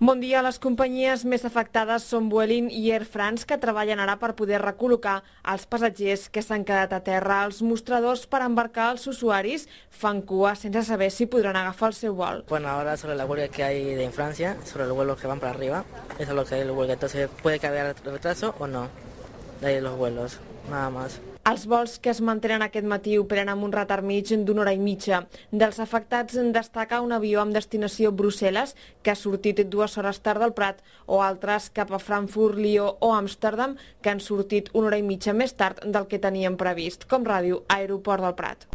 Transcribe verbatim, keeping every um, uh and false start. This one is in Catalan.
Bon dia. Les companyies més afectades són Vueling i Air France, que treballen ara per poder recol·locar els passatgers que s'han quedat a terra. Els mostradors per embarcar els usuaris fan cua sense saber si podran agafar el seu vol. Bueno, ahora sobre la huelga que hay en Francia, sobre los vuelos que van para arriba, eso es lo que hay en la huelga. Entonces, puede que haya retraso o no de ahí los vuelos, nada más. Els vols que es mantenen aquest matí operen amb un retard mig d'una hora i mitja. Dels afectats en destaca un avió amb destinació Brussel·les, que ha sortit dues hores tard del Prat, o altres cap a Frankfurt, Lió o Amsterdam, que han sortit una hora i mitja més tard del que tenien previst, com Ràdio Aeroport del Prat.